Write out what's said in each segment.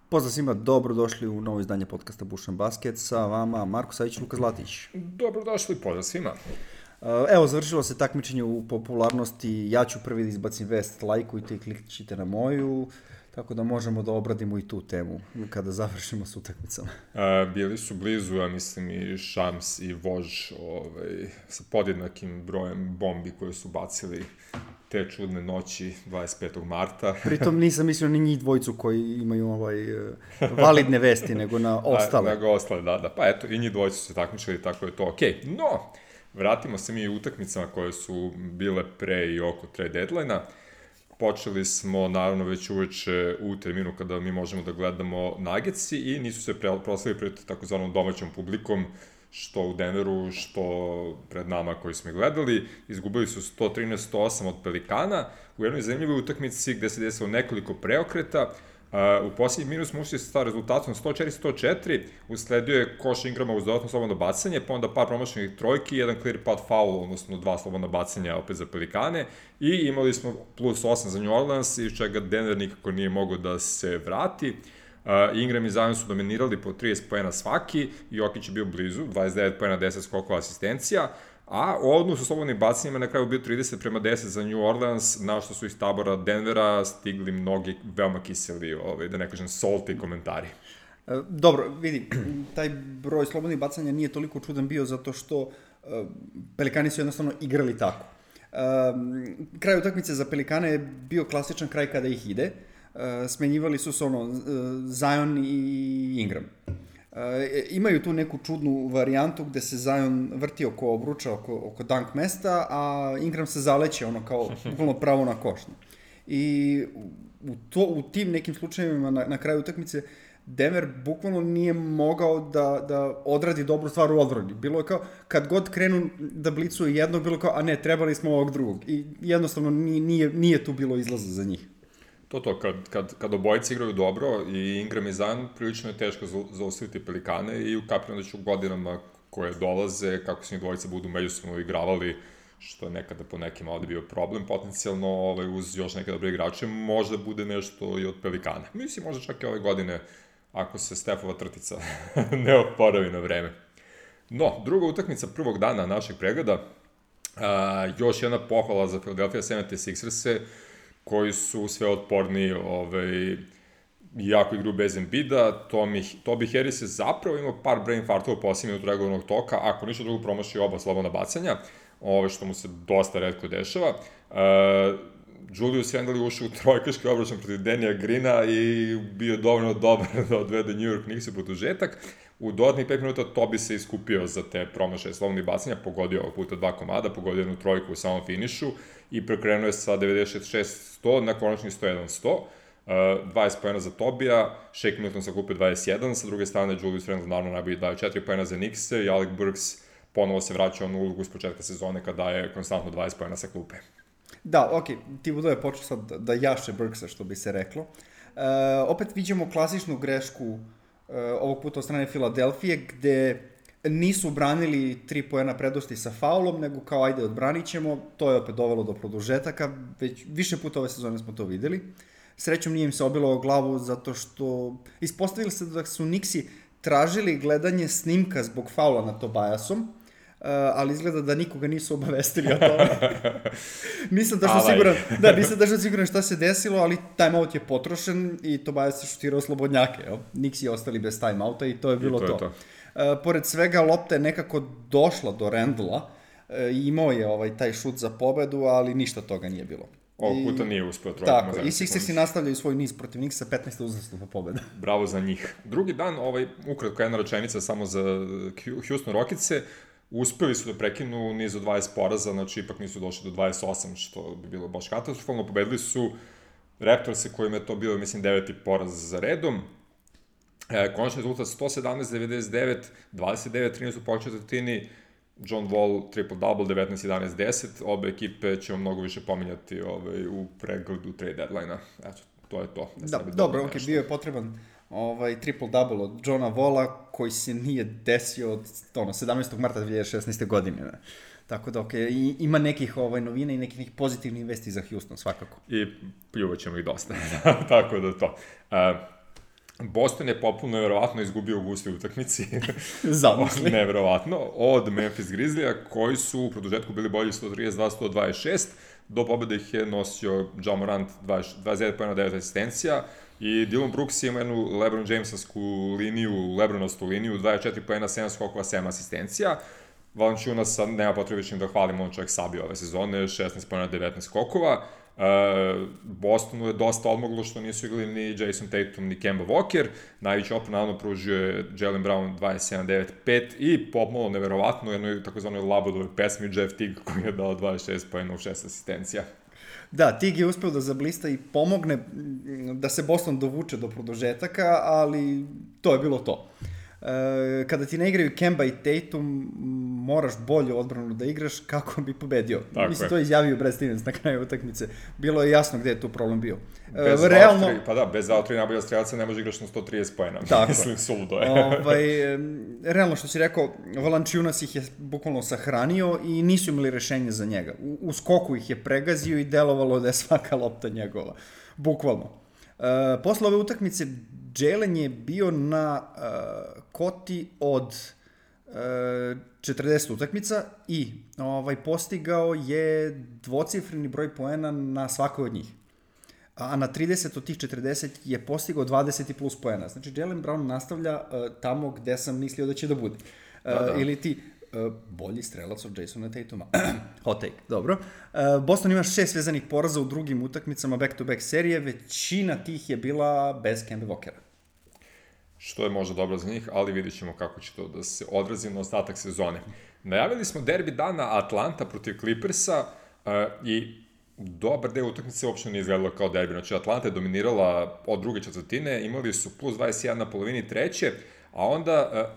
Pozdrav svima, dobrodošli u novo izdanje podcasta Bušan Basket, sa vama Marko Savić i Luka Zlatić. Dobrodošli, pozdrav svima. Evo, završilo se takmičenje u popularnosti, ja ću prvi da izbacim vest, lajkujte i klikćite na moju, tako da možemo da obradimo i tu temu kada završimo s utakmicama. Bili su blizu, ja mislim, i Šams i Vož sa podjednakim brojem bombi koje su bacili te čudne noći 25. marta. Pritom nisam mislio ni njih dvojicu koji imaju validne vesti, nego na ostale. Nego ostale, da. Pa eto, i njih dvojicu su se takmičili, tako je to okej. No, vratimo se mi u utakmicama koje su bile pre i oko trade deadline-a. Počeli smo, naravno, već uveče u terminu kada mi možemo da gledamo Nuggetsi i nisu se proslavili pred takozvanom domaćom publikom, što u Denveru, što pred nama koji smo gledali. Izgubili su 113-108 od Pelikana u jednoj zanimljivoj utakmici gde se desilo nekoliko preokreta. U posljednjih minut smo ušli sa rezultatom 104-104, usledio je koš Ingrama uz dodatno slobodno bacanje, pa onda par promašenih trojki, jedan clear path foul, odnosno 2 slobodna bacanja opet za Pelikane, i imali smo plus 8 za New Orleans, iz čega Denver nikako nije mogao da se vrati. Ingram i Zion su dominirali po 30 poena svaki, Jokić je bio blizu, 29 poena, 10 skokova asistencija, a u odnosu slobodnim bacanjima na kraju bio 30-10 za New Orleans, na što su iz tabora Denvera stigli mnogi veoma kiseli, da ne kažem salty komentari. Dobro, vidi, taj broj slobodnih bacanja nije toliko čudan bio zato što Pelikani su jednostavno igrali tako. Kraj utakmice za Pelikane je bio klasičan kraj kada ih ide. Smenjivali su se Zion i Ingram. Imaju tu neku čudnu varijantu gde se Zion vrti oko obruča, oko dunk mesta, a Ingram se zaleće kao bukvalno pravo na koš. I u tim nekim slučajevima na kraju utakmice Denver bukvalno nije mogao da odradi dobru stvar u odbrani. Bilo je kao, kad god krenu da blicuju jednog, bilo kao, a ne, trebali smo ovog drugog. I jednostavno nije tu bilo izlaza za njih. Kad obojice igraju dobro i Ingram i Zion, prilično je teško zaustaviti Pelikane i ukapiram da će u godinama koje dolaze, kako se njih dvojice budu međusobno igravali, što je nekada po nekima ovde bio problem, potencijalno uz još neke dobre igrače, možda bude nešto i od Pelikana. Mislim, možda čak i ove godine, ako se Stefova trtica ne oporavi na vreme. No, druga utakmica prvog dana našeg pregleda, još jedna pohvala za Philadelphia 76ers-e, koji su sve otporniji, jako igru bez Embida. Toby Harris je zapravo imao par brain fartova u posljednji minut regularnog toka, ako ništa drugo promašio oba slobodna bacanja, što mu se dosta retko dešava. Julius Randle je ušao u trojkaški obračun protiv Danija Greena i bio dovoljno dobar da odvede New York Knicks u produžetak. U dodatnih 5 minuta Toby se iskupio za te promašaje slobodnih bacanja, pogodio ovog puta 2 komada, pogodio jednu trojku u samom finišu i prekrenuo je sa 96-100 na konačni 101-100. 20 pojena za Tobija, Shake Milton sa klupe 21, sa druge strane Julius Randle naravno najbolji daje 4 pojena za Knicks i Alec Burks ponovo se vraća u ulogu s početka sezone kada daje konstantno 20 pojena sa klupe. Da, okej, Thibodeau je počeo sad da jaše Burksa, što bi se reklo. Opet vidimo klasičnu grešku ovog puta od strane Filadelfije, gde nisu branili 3 poena prednosti sa faulom, nego kao ajde odbranit ćemo, to je opet dovelo do produžetaka, već više puta ove sezone smo to videli. Srećom nije im se obilo o glavu zato što ispostavili se da su Knicksi tražili gledanje snimka zbog faula nad Tobiasom, ali izgleda da nikoga nisu obavestili o tome. Nisam tačno siguran šta se desilo, ali timeout je potrošen i Tobias je šutirao slobodnjake. Knicksi je ostali bez timeouta i to je bilo to. Pored svega, lopta je nekako došla do Randla, imao je taj šut za pobedu, ali ništa toga nije bilo. Ovog puta nije uspeo trojkom. Tako, i Sixersi nastavljaju svoj niz protiv Knicksa, 15. uzastopna pobeda. Bravo za njih. Drugi dan, ukratko jedna rečenica samo za Houston Rocketse, uspeli su da prekinu niz od 20 poraza, znači ipak nisu došli do 28, što bi bilo baš katastrofalno. Pobedili su Raptorse kojima je to bio, mislim, 9. poraz za redom. Konačni rezultat 117-99, 29-13 u početini, John Wall triple-double, 19-11-10, obe ekipe ćemo mnogo više pominjati u pregledu trade deadline-a. Eto, to je to. Dobro, bio je potreban triple-double od Johna Walla, koji se nije desio od 17. marta 2016. godine. Tako da, ima nekih novina i nekih pozitivnih vesti za Houston, svakako. I pljuvat ćemo ih dosta, tako da to. Boston je popuno nevjerovatno izgubio u gustoj utakmici. Zamisli. Nevjerovatno. Od Memphis Grizzlija, koji su u produžetku bili bolji 132-126. Do pobjede ih je nosio Ja Morant 29 pojena, 9 asistencija. I Dillon Brooks ima jednu LeBron Jamesovsku liniju, LeBronostu liniju, 24 pojena, 7 skokova, 7 asistencija. Valanciunas, nema potrebe više da hvalimo, on čovjek sabio ove sezone, 16 pojena, 19 skokova. Bostonu je dosta odmoglo što nisu igrali ni Jason Tatum ni Kemba Walker. Najveći opor naravno pružio je Jaylen Brown 27-9-5 i pomalo neverovatno u jednoj takozvanoj Labudovoj pesmi Jeff Teague koji je dao 26 pojena u 6 asistencija. Da, Tig je uspeo da zablista i pomogne da se Boston dovuče do produžetaka, ali to je bilo to. Kada ti ne igraju Kemba i Tatum, moraš bolju odbranu da igraš kako bi pobedio. Mislim, to je izjavio Brad Stevens na kraju utakmice. Bilo je jasno gde je tu problem bio. Realno... bez dva, tri najbolja strelca ne može igraš na 130 pojena. Mislim, suludo je. Realno što si rekao, Valanciunas ih je bukvalno sahranio i nisu imali rešenje za njega. U skoku ih je pregazio i delovalo da je svaka lopta njegova. Bukvalno. Posle ove utakmice Jalen je bio na koti od 40 utakmica i postigao je dvocifreni broj poena na svakoj od njih. A na 30 od tih 40 je postigao 20 i plus poena. Znači, Jaylen Brown nastavlja tamo gde sam mislio da će da bude. Ili ti bolji strelac od Jasona Tatuma. Hot take, dobro. Boston ima 6 vezanih poraza u drugim utakmicama back-to-back serije. Većina tih je bila bez Kemba Walkera. Što je možda dobro za njih, ali vidjet ćemo kako će to da se odrazi na ostatak sezone. Najavili smo derbi dana Atlanta protiv Clippersa i dobar deo utakmice uopšte nije izgledalo kao derbi. Znači, Atlanta je dominirala od druge četvrtine, imali su plus 21 na polovini treće, a onda,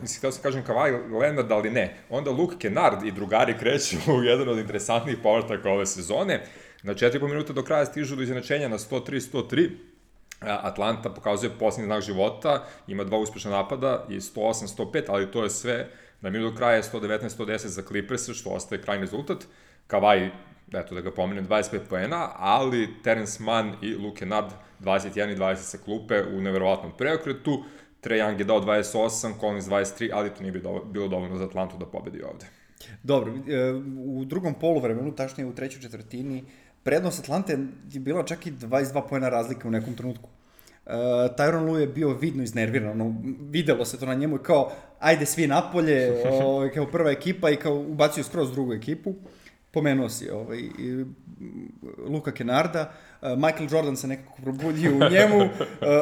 mislim, htio sam kažem Kawhi Leonard, ali ne, onda Luke Kennard i drugari kreću u jedan od interesantnijih povrataka ove sezone. Na 4,5 minuta do kraja stižu do izjednačenja na 103-103, Atlanta pokazuje posljednji znak života, ima 2 uspešna napada i 108-105, ali to je sve. Na minut do kraja je 119-110 za Clippers, što ostaje krajni rezultat. Kawhi, eto da ga pomenem, 25 poena, ali Terence Mann i Luke Kennard 21 i 20 sa klupe u neverovatnom preokretu. Trae Young je dao 28, Collins 23, ali to nije bilo dovoljno za Atlantu da pobedi ovde. Dobro, u drugom poluvremenu, tačnije u trećoj četvrtini, prednost Atlante je bila čak i 22 poena razlike u nekom trenutku. Tyronn Lue je bio vidno iznerviran, videlo se to na njemu kao ajde svi napolje, kao prva ekipa i kao ubacio skroz drugu ekipu. Pomenuo si Luka Kennarda, Michael Jordan se nekako probudio u njemu,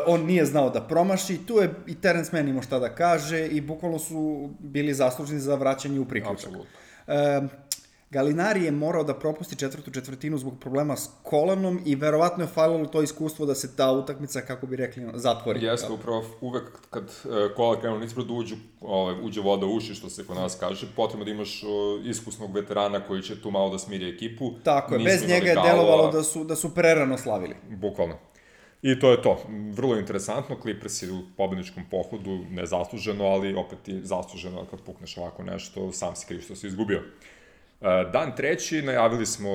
on nije znao da promaši, tu je i Terence Mann imao šta da kaže i bukvalno su bili zaslužni za vraćanje u priključak. Gallinari je morao da propusti četvrtu četvrtinu zbog problema s kolanom i verovatno je falilo to iskustvo da se ta utakmica, kako bi rekli, zatvori. Jeste, upravo uvek kad kola krenu nispred uđe voda u uši, što se kod nas kaže, potrebno da imaš iskusnog veterana koji će tu malo da smiri ekipu. Tako je, bez njega je delovalo da su prerano slavili. Bukvalno. I to je to. Vrlo interesantno, Clippers je u pobedničkom pohodu, nezasluženo, ali opet i zasluženo kad pukneš ovako nešto, sam si kriv što si izgubio. Dan treći, najavili smo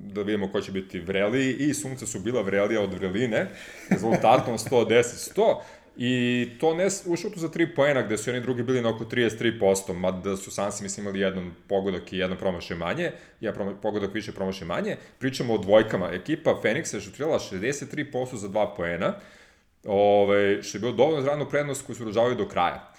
da vidimo ko će biti vreliji i Sunce su bila vrelija od vreline, rezultatom 110-100 i to ne u šutu za 3 poena gde su oni drugi bili na oko 33%, mada su Sansi mislim imali jedan pogodak i jedan promašaj manje, pogodak više promašaj manje. Pričamo o dvojkama, ekipa Phoenixa je šutirala 63% za 2 poena, što je bilo dovoljno za radnu prednost koju su održavali do kraja.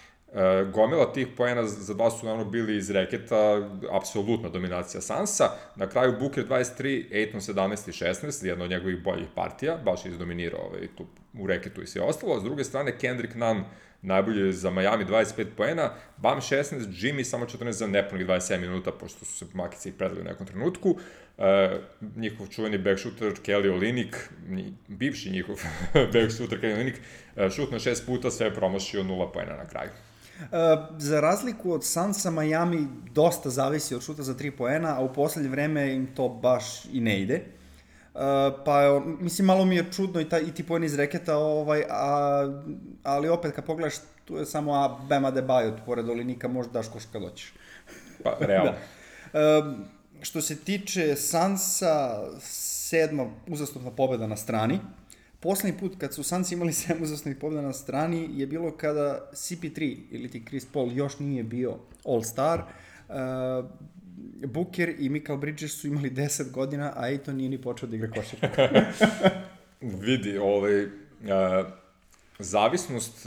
Gomila tih poena za 2 su naravno bili iz reketa, apsolutna dominacija Sansa. Na kraju Booker 23, Ayton 17 i 16, jedna od njegovih boljih partija, baš je izdominirao tu u reketu i sve ostalo. S druge strane, Kendrick Nunn najbolje za Miami 25 poena, Bam 16, Jimmy samo 14 za nepunih 27 minuta, pošto su se makice ih predali u nekom trenutku. Njihov čuveni backshooter Kelly Olynyk, bivši njihov backshooter Kelly Olynyk, šutno 6 puta, sve je promašio 0 poena na kraju. Za razliku od Sansa, Miami dosta zavisi od šuta za 3 poena, a u poslednje vreme im to baš i ne ide. Pa, mislim, malo mi je čudno i ti poeni iz reketa, ali opet kad pogledaš, tu je samo Bam Adebayo, pored Olynyka možda daš koš kad doćeš. Pa, realno. Što se tiče Sansa, 7. uzastopna pobeda na strani, Poslednji put kad su Suns imali 7 uzastopnih pobjeda na strani je bilo kada CP3 ili ti Chris Paul još nije bio All-Star. Booker i Michael Bridges su imali 10 godina, a Ayton nije ni počeo da igra košarku. Vidi, zavisnost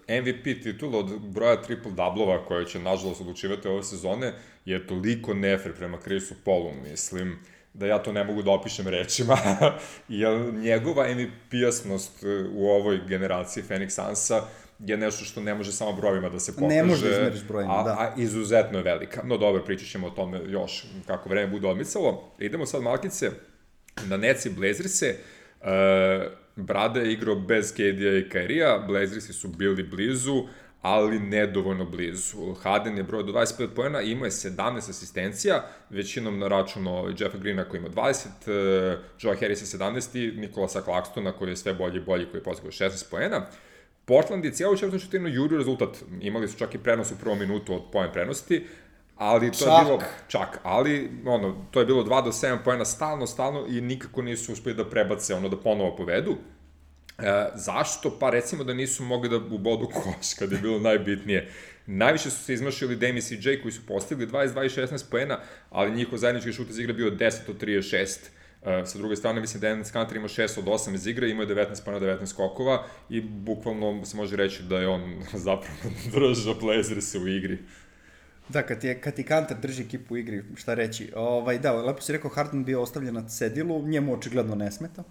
MVP titula od broja triple-doublova koje će nažalost odlučivati ove sezone je toliko nefer prema Chrisu Paulu, mislim da ja to ne mogu da opišem rečima, jer njegova MVP-asnost u ovoj generaciji Phoenix Sunsa je nešto što ne može samo brojima da se pokaže. Ne može da izmeriš brojima, da. A izuzetno je velika. No dobro, pričat ćemo o tome još kako vreme bude odmicalo. Idemo sad malkice na Nets i Blazerse. Brada je igrao bez KD-a i Kyrie-a, Blazersi su bili blizu, ali nedovoljno blizu. Harden je broj do 25 poena, imao je 17 asistencija, većinom na računu Jeffa Greena koji ima 20, Joe Harrisa 17 i Nikolasa Claxtona koji je sve bolji i bolji, koji je postigao 16 poena. Portland je cijelu četvrtu četvrtinu jurio rezultat. Imali su čak i prenos u prvom minutu od poen prenosti, ali to je bilo to je bilo 2 do 7 poena stalno i nikako nisu uspeli da prebace, da ponovo povedu. Zašto? Pa recimo da nisu mogli da ubodu koš kad je bilo najbitnije. Najviše su se izmašili Dame i CJ koji su postigli 22 i 16 poena, ali njihov zajednički šut iz igre bio 10 od 36. Sa druge strane, mislim da Enes Kanter ima 6 od 8 iz igre, imao je 19 poena, 19 skokova i bukvalno se može reći da je on zapravo držao Blazerse u igri. Da, kad ti Kanter drži ekipu u igri, šta reći. Da, lepo si rekao, Harden bio ostavljen na cedilu, njemu očigledno ne smeta.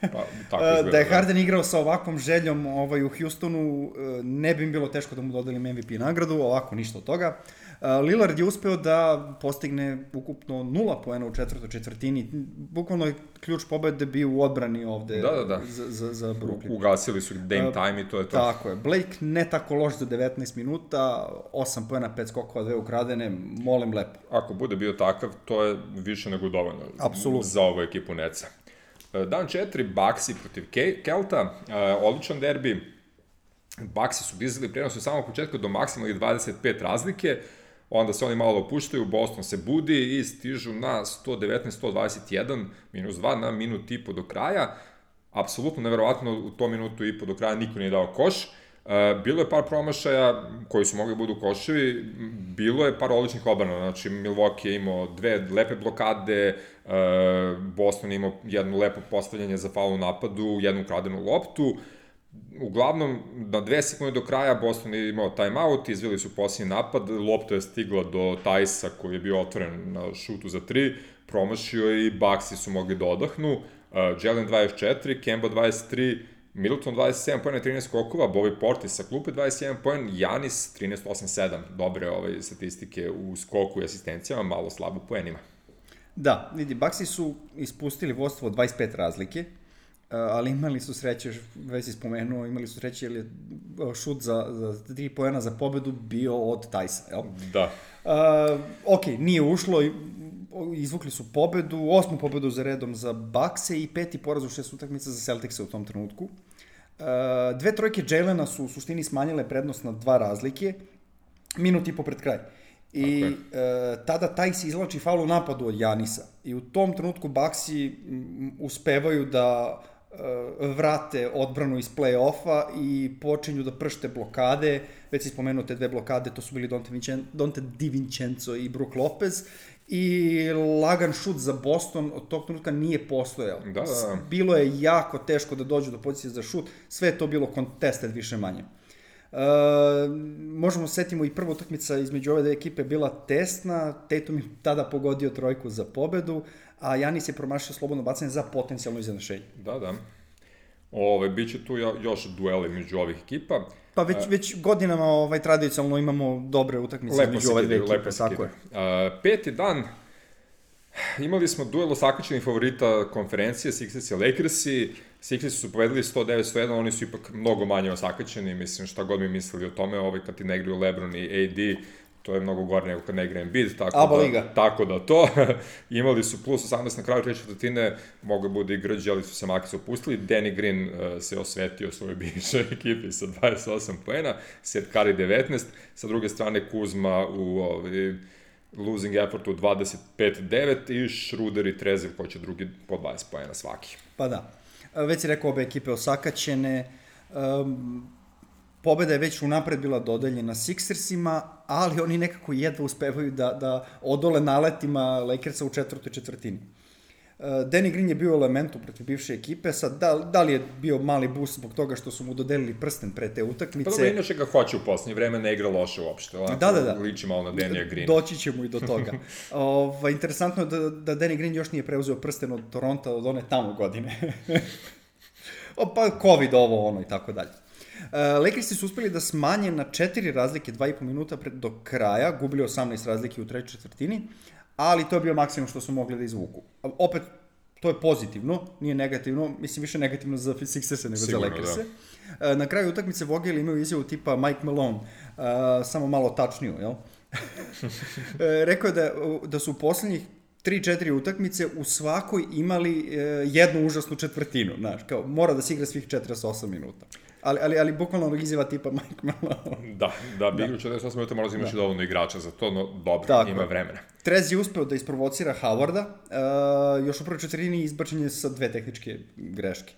Pa, tako izgleda, da je Harden igrao sa ovakvom željom u Houstonu, ne bi im bilo teško da mu dodelim MVP nagradu, ovako ništa od toga. Lillard je uspeo da postigne ukupno 0 poena u četvrtoj četvrtini. Bukvalno je ključ pobede bio u odbrani ovde za Brooklyn. Ugasili su Dame time i to je to. Tako je. Blake ne tako loš za 19 minuta, 8 poena, 5 skokova, 2 ukradene, molim lepo. Ako bude bio takav, to je više nego dovoljno. Apsolutno. Za ovu ekipu Netsa. Dan 4, Bucksi protiv Kelta, odličan derbi. Bucksi su dizali prenos u samog početka do maksimalnih 25 razlike, onda se oni malo opuštaju, Boston se budi i stižu na 119-121, -2 na minut i po do kraja. Apsolutno neverovatno, u to minutu i po do kraja niko nije dao koš. Bilo je par promašaja koji su mogli budu koševi, bilo je par odličnih odbrana, znači Milwaukee je imao 2 lepe blokade, Boston je imao jedno lepo postavljanje za faul u napadu, jednu ukradenu loptu. Uglavnom, na 2 sekunde do kraja Boston je imao timeout, izveli su posljednji napad, lopta je stigla do Tajsa koji je bio otvoren na šutu za 3, promašio je i Bucksi su mogli da odahnu, Jalen 24, Kemba 23, Middleton 27 poena i 13 skokova, Bobby Portis sa klupe 21 poen, Giannis 13-8-7, dobre statistike u skoku i asistencijama, malo slabo poenima. Da, vidi, Bucksi su ispustili vodstvo od 25 razlike, ali imali su sreće, već si spomenuo, imali su sreće jer je šut za 3 poena za pobedu bio od Tajsa, jel? Da. Ok, nije ušlo, izvukli su pobedu, 8. pobedu za redom za Buckse i 5. poraz u 6 utakmica za Celticse u tom trenutku. 2 trojke Jalena su u suštini smanjile prednost na 2 razlike, minut i po pred kraj. I tada Tajs izlači faul u napadu od Janisa. I u tom trenutku Bucksi uspevaju da vrate odbranu iz play-offa i počinju da pršte blokade. Već si spomenuo te 2 blokade, to su bili Donte DiVincenzo i Brook Lopez. I lagan šut za Boston od tog trenutka nije postojao. Da. Bilo je jako teško da dođu do pozicije za šut, sve je to bilo contested više manje. Možemo setimo i prva utakmica između ove 2 ekipe bila tesna, Tatum je tada pogodio trojku za pobedu, a Giannis je promašio slobodno bacanje za potencijalno izjednačenje. Da. Biće tu još dueli među ovih ekipa. Pa već godinama tradicionalno imamo dobre utakmice između ove 2 ekipe, tako je. 5. dan, imali smo duel osakaćenih favorita konferencije, Sixers i Lakersi. Sixers su povedali 109-101, oni su ipak mnogo manje osakaćeni, mislim šta god mi mislili o tome, kad ti ne igraju LeBron i AD, to je mnogo gore nego kad ne igra Embiid, tako da to. Imali su plus 18 na kraju treće četvrtine, mogu bude i grđe, ali su se Makis opustili. Danny Green se osvetio svojoj bivšoj ekipi sa 28 poena, Seth Curry 19, sa druge strane Kuzma u losing effortu 25-9 i Schroeder i Trezor koji će drugi po 20 poena svaki. Pa da. Već si rekao, obe ekipe osakaćene. Pobeda je već unapred bila dodeljena Sixersima, ali oni nekako jedva uspevaju da odole naletima Lakersa u četvrtoj četvrtini. Danny Green je bio u elementu protiv bivše ekipe, sad da li je bio mali boost zbog toga što su mu dodelili prsten pre te utakmice? Pa dobro, inače ga hoće u poslednje vreme, ne igra loše uopšte, da. Liči malo na Danny Greena. Doći ćemo i do toga. Interesantno je da Danny Green još nije preuzeo prsten od Toronta od one tamo godine. Pa COVID ono i tako dalje. Lakersi su uspeli da smanje na 4 razlike 2,5 minuta do kraja, gubili 18 razlike u trećoj četvrtini, ali to je bio maksimum što su mogli da izvuku. Opet, to je pozitivno, nije negativno, mislim više negativno za Sixerse nego sigurno, za Lakerse. Da. Na kraju utakmice Vogel imaju izjavu tipa Mike Malone, samo malo tačniju, jel? Rekao je da su u poslednjih 3-4 utakmice u svakoj imali jednu užasnu četvrtinu, znaš, kao mora da se igra svih 48 minuta. Ali bukvalno izjava tipa Mike Malone. Da bi igrao 48 minuta mora da imaš dovoljno igrača za to, no dobro, tako, ima vremena. Trez je uspeo da isprovocira Howarda, još u prvoj četvrtini izbačen je sa 2 tehničke greške.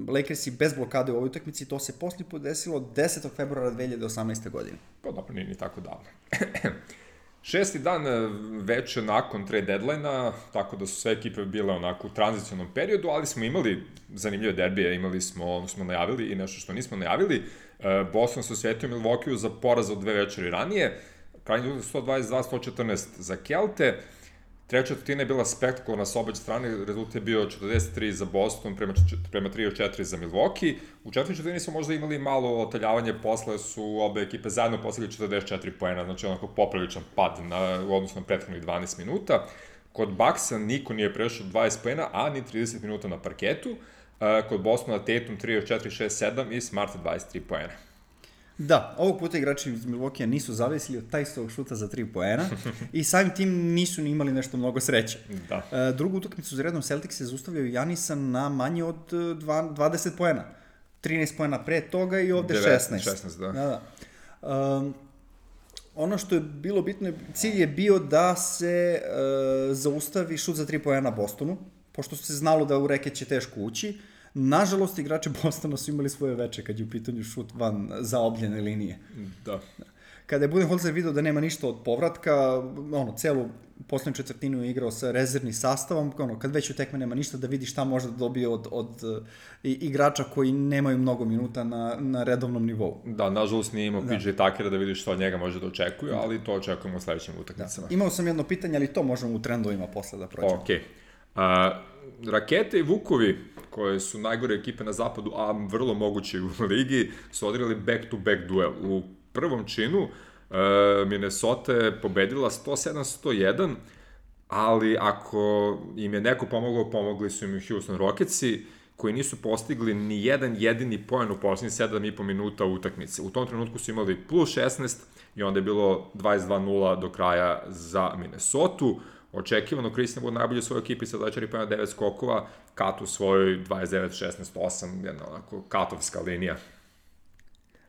Lakersi bez blokade u ovoj utakmici, to se posle podesilo 10. februara 2018. godine. Pa dobro, nije ni tako davno. 6. dan već nakon trade deadline-a, tako da su sve ekipe bile onako u tranzicionom periodu, ali smo imali zanimljive derbije, imali smo najavili i nešto što nismo najavili. Boston se osvetio Milwaukee za poraz od 2 večeri ranije, krajnji rezultat 122-114 za Kelte. Treća četvrtina je bila spektakularna s obe strane, rezultat je bio 43 za Boston prema 34 za Milwaukee. U četvrtoj četvrtini smo možda imali malo otaljavanje, posle su obe ekipe zajedno postigli 44 poena, znači onako popriličan pad u odnosu na prethodnih 12 minuta. Kod Bucksa niko nije prešao 20 poena, a ni 30 minuta na parketu. Kod Bostona Tatum 3 od 4, 6, 7 i Smart 23 poena. Da, ovog puta igrači iz Milwaukee nisu zavisili od Tysovog šuta za 3 poena i samim tim nisu ni imali nešto mnogo sreće. Da. Drugu utakmicu za redom Celtics se zaustavljaju Janisa na manje od 20 poena. 13 poena pre toga i ovde 16. Da. Ono što je bilo bitno, cilj je bio da se zaustavi šut za 3 poena Bostonu, pošto se znalo da u reket će teško ući. Nažalost, igrači Bostona su imali svoje veče kad je u pitanju šut van zaobljene linije. Da. Kada je Budenholzer video da nema ništa od povratka, celu poslednju četvrtinu je igrao sa rezervnim sastavom, kad već u tekme nema ništa da vidi šta može da dobije od igrača koji nemaju mnogo minuta na redovnom nivou. Da, nažalost nije imao PJ Tuckera da vidi što od njega može da očekuje, ali to očekujemo u sledećim utakmicama. Imao sam jedno pitanje, ali to možemo u trendovima posle da prođemo. Okej. Rakete i Vukovi, koje su najgore ekipe na zapadu, a vrlo moguće u ligi, su odigrali back-to-back duel. U prvom činu Minnesota je pobedila 107-101, ali ako im je neko pomogao, pomogli su im Houston Rocketsi, koji nisu postigli ni jedan jedini poen u poslednjih 7,5 minuta utakmice. U tom trenutku su imali plus 16 i onda je bilo 22-0 do kraja za Minnesotu. Očekivano, Christian Wood najbolje u svojoj ekipi sa 24 poena 9 skokova, Kat u svojoj 29-16-8, jedna onako katovska linija.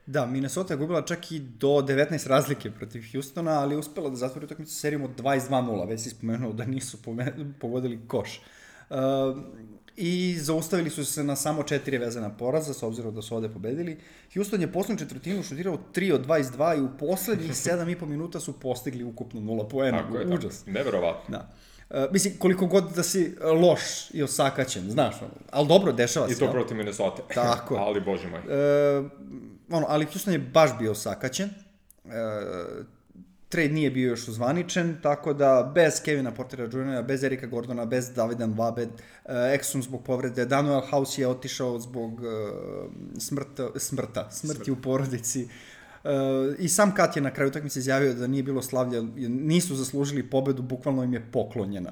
Da, Minnesota je gubila čak i do 19 razlike protiv Houstona, ali je uspela da zatvori utakmicu serijom od 22-0, već si spomenuo da nisu pogodili koš. I zaustavili su se na samo 4 vezana poraza, s obzirom da su ovde pobedili. Houston je poslednju četvrtinu šutirao 3 od 22 i u poslednjih 7,5 minuta su postigli ukupno 0 poena. Tako je, užas. Neverovatno. Da. Mislim, koliko god da si loš i osakaćen, znaš, ali dobro, dešava se. I to protiv Minnesota. Tako. Ali, bože moj. Ali Houston je baš bio osakaćen. Trade nije bio još uzvaničen, tako da bez Kevina Portera Jr., bez Erika Gordona, bez Davida Nvabe, Exum zbog povrede, Daniel House je otišao zbog smrti u porodici. I sam Kat je na kraju utakmice izjavio da nije bilo slavlja, nisu zaslužili pobedu, bukvalno im je poklonjena.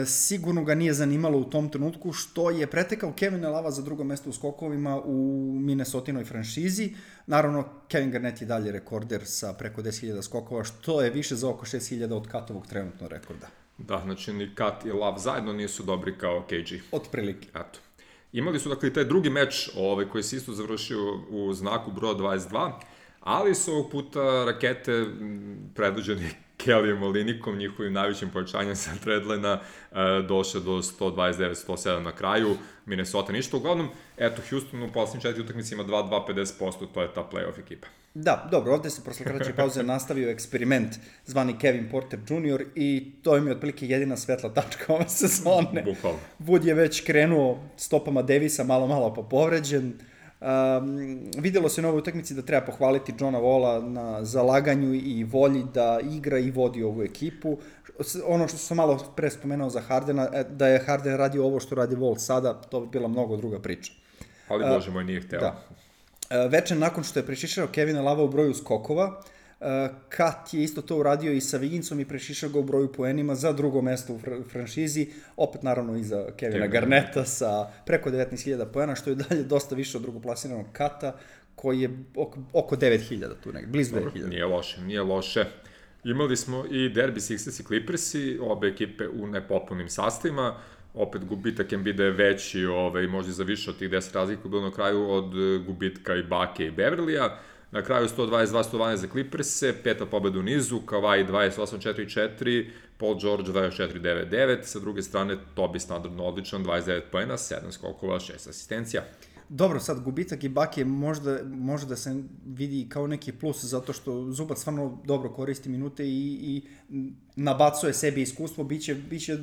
Sigurno ga nije zanimalo u tom trenutku što je pretekao Kevina Lava za drugo mesto u skokovima u Minnesotinoj franšizi. Naravno, Kevin Garnett je dalje rekorder sa preko 10.000 skokova, što je više za oko 6.000 od Katovog trenutno rekorda. Da, znači ni Kat i Lav zajedno nisu dobri kao KG. Otprilike. Eto. Imali su dakle taj drugi meč koji se isto završio u znaku broja 22, ali su ovog puta rakete predvođeni Kellyem Olinikom, njihovim najvećim pojačanjem sa Treadlina, došao do 129-107 na kraju, Minnesota ništa. Uglavnom, eto, Houston u poslednjim 4 utakmici ima 2-2-50%, to je ta playoff ekipa. Da, dobro, ovde se posle kraće pauze nastavio eksperiment zvani Kevin Porter Jr. i to im je otprilike jedina svetla tačka ove sezone. Bukvalno. Wood je već krenuo stopama Davisa, malo pa povređen. Videlo se na ovoj utakmici da treba pohvaliti Johna Walla na zalaganju i volji da igra i vodi ovu ekipu. Ono što sam malo pre spomenuo za Hardena, da je Harden radio ovo što radi Wall sada, to bi bila mnogo druga priča. Ali Bože moj, nije hteo. Da. Veče nakon što je prešišao Kevina Lava u broju skokova, Kat je isto to uradio i sa Wigginsom i prešišao ga u broju poenima za drugo mesto u franšizi, opet naravno iza Kevina Garneta sa preko 19.000 poena, što je dalje dosta više od drugoplasiranog Kata, koji je oko 9.000 tu negdje, blizu 9.000. Nije loše. Imali smo i derbi Sixers i Clippersi, obe ekipe u nepotpunim sastavima, opet gubitak Embida je veći, možda za više od tih 10 razlika bilo na kraju od gubitka i Bake i Beverlija. Na kraju 122-112 za Clippers-e, 5. pobeda u nizu, Kawhi 28-4-4, Paul George 24-9-9, sa druge strane Tobi standardno odličan, 29 poena, 7 skokova, 6 asistencija. Dobro, sad gubitak i Bake može da se vidi kao neki plus, zato što Zubac stvarno dobro koristi minute i nabacuje sebi iskustvo, biće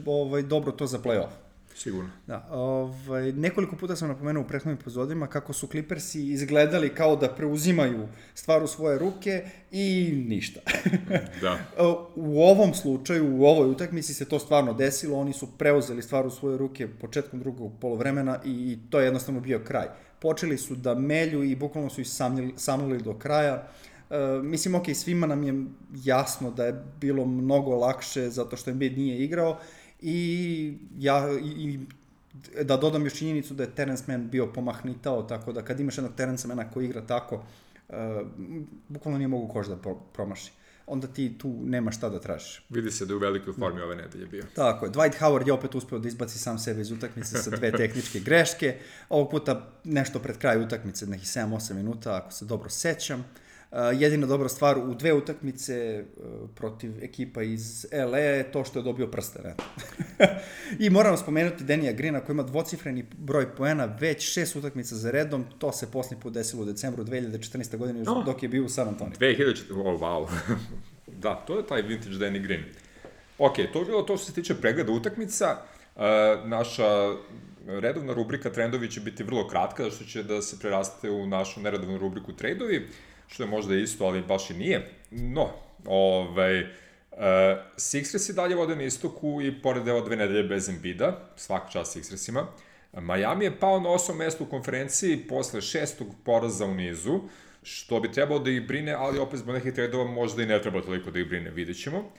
dobro to za play-off. Sigurno. Da, nekoliko puta sam napomenuo u prethodnim epizodima kako su Clippersi izgledali kao da preuzimaju stvar u svoje ruke i ništa. Da. U ovom slučaju, u ovoj utakmici se to stvarno desilo, oni su preuzeli stvar u svoje ruke početkom drugog polovremena i to je jednostavno bio kraj. Počeli su da melju i bukvalno su ih samlili do kraja. Mislim, ok, svima nam je jasno da je bilo mnogo lakše zato što Embiid nije igrao, i da dodam još činjenicu da je Terence Mann bio pomahnitao, tako da kad imaš jednog Terence Manna koji igra tako, bukvalno nije mogu koš da promaši. Onda ti tu nema šta da tražiš. Vidi se da je u velikoj formi ove nedelje bio. Tako je. Dwight Howard je opet uspeo da izbaci sam sebe iz utakmice sa 2 tehničke greške. Ovog puta nešto pred kraju utakmice, nekih 7-8 minuta, ako se dobro sećam. Jedina dobra stvar u 2 utakmice protiv ekipa iz LA je to što je dobio prsten. I moramo spomenuti Danija Greena koji ima dvocifreni broj poena već 6 utakmica za redom. To se posljednji put desilo u decembru 2014. godine dok je bio u San Antonio. 2014. Wow. Da, to je taj vintage Danny Green. Ok, to je bilo to što se tiče pregleda utakmica. Naša redovna rubrika Trendovi će biti vrlo kratka, zato što će da se preraste u našu neredovnu rubriku Tradeovi, što je možda isto, ali baš i nije. No, Sixers i dalje vode na istoku i pored 2 nedelje bez Embida, svaka čast Sixersima. Miami je pao na 8. mesto u konferenciji posle 6. poraza u nizu, što bi trebalo da ih brine, ali opet zbog nekih tradova možda i ne treba toliko da ih brine, vidjet ćemo.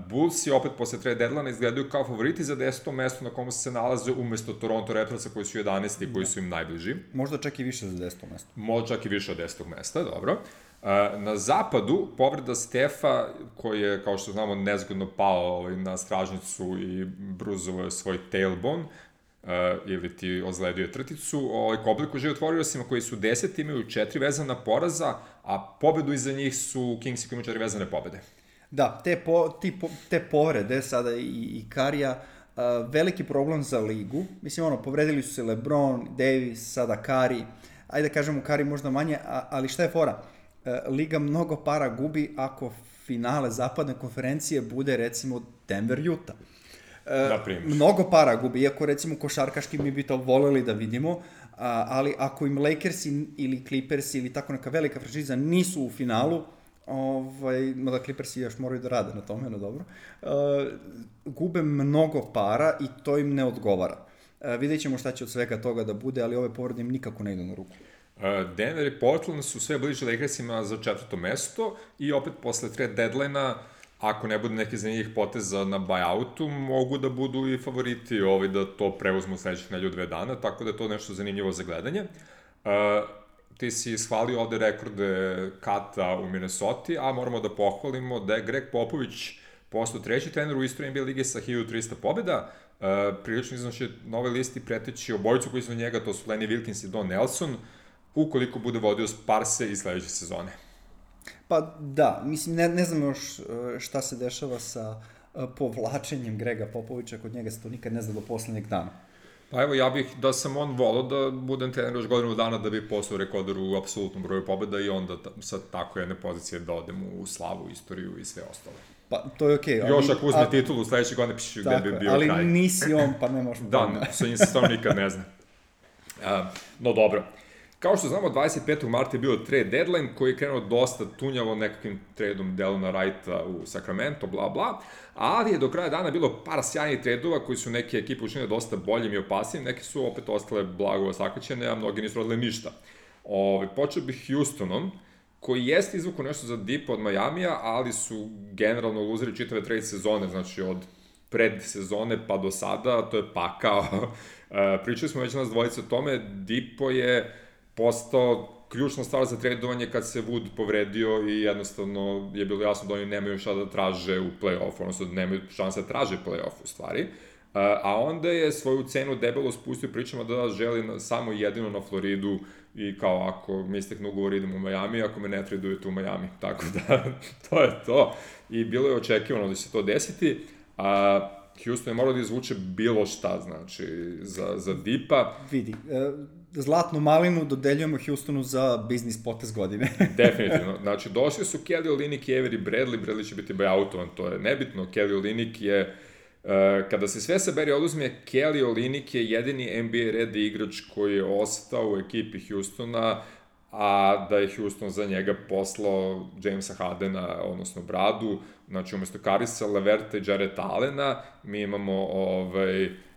Bulls i opet posle trade deadline izgledaju kao favoriti za 10. mesto na komu se nalaze umesto Toronto Raptorsa koji su 11. i koji su im najbliži. Možda čak i više za 10. mesto. Možda čak i više od 10. mesta, dobro. Na zapadu, povreda Stefa, koji je, kao što znamo, nezgodno pao na stražnicu i bruzovo je svoj tailbone, ili ti ozledio trticu, Kobliku žive otvorioćima koji su 10, imaju 4 vezana poraza, a pobedu iza njih su Kingsi koji imaju 4 vezane pobede. Da, te povrede sada i Karija, veliki problem za ligu. Mislim, povredili su se LeBron, Davis, sada Kari. Ajde da kažemo Kari možda manje, ali šta je fora? Liga mnogo para gubi ako finale zapadne konferencije bude recimo Denver-Utah. Mnogo para gubi, iako recimo košarkaški mi bi to voleli da vidimo, ali ako im Lakersi ili Clippersi ili tako neka velika franšiza nisu u finalu, mada Clippersi još moraju da rade na tome, no dobro, gube mnogo para i to im ne odgovara. Vidjet ćemo šta će od svega toga da bude, ali ove povrede im nikako ne idu na ruku. Denver i Portland su sve bliže Lakersima za 4. mesto i opet posle trade deadline-a, ako ne bude neki za njih poteza na buyoutu, mogu da budu i favoriti da to preuzmu sledećih nedelju 2 dana, tako da je to nešto zanimljivo za gledanje. Ti si shvalio ovde rekorde Kata u Minnesoti, a moramo da pohvalimo da je Greg Popović postao 3. trener u istoriji NBA lige sa 1300 pobjeda. Prilično iznoši na ovoj listi preteći obojicu koji su na njega, to su Lenny Wilkins i Don Nelson, ukoliko bude vodio Sparse i sledeće sezone. Pa da, mislim, ne znam još šta se dešava sa povlačenjem Grega Popovića, kod njega se to nikad ne zna do poslednjeg dana. Pa evo, ja bih, da sam on volao da budem trener još godinu dana da bi postao rekorder u apsolutnom broju pobjeda i onda sa tako jedne pozicije da odem u slavu, istoriju i sve ostalo. Pa, to je okej. Još ako uzme titulu, sledeće godine piše gde bi bio ali kraj. Ali nisi on, pa ne možeš... Da, sa njim se stvarno nikad ne zna. No dobro. Kao što znamo, 25. marta je bio trade deadline koji je krenuo dosta tunjavo nekakvim tradeom Delona Wrighta u Sacramento, bla bla, ali je do kraja dana bilo par sjajnih tradeova koji su neke ekipe učinile dosta boljim i opasnim, neke su opet ostale blago sakaćene, a mnogi nisu radili ništa. Počeo bih Houstonom, koji jeste izvukao nešto za Deepa od Majamija, ali su generalno luzeri čitave trade sezone, znači od predsezone pa do sada, to je pakao. Pričali smo već nas dvojice o tome, Deepo je postao ključna stvar za tradovanje kad se Wood povredio i jednostavno je bilo jasno da oni nemaju šta da traže u play-offu, odnosno da nemaju šanse da traže play-off u stvari. A onda je svoju cenu debelo spustio pričama da želi samo jedino na Floridu i kao ako mi istekne ugovor idem u Miami, ako me ne tradujete u Miami. Tako da, to je to. I bilo je očekivano da će se to desiti. Houston je morao da izvuče bilo šta, znači, za Deepa. Vidi, zlatnu malinu dodeljujemo Houstonu za biznis potez godine. Definitivno. Znači, došli su Kelly Olynyk i Avery Bradley će biti buyoutovan, to je nebitno. Kelly Olynyk je, kada se sve sabere oduzme, Kelly Olynyk je jedini NBA ready igrač koji je ostao u ekipi Houstona, a da je Houston za njega poslao Jamesa Hardena, odnosno Bradu, znači umesto Karisa, Leverta i Jarrett Allena, mi imamo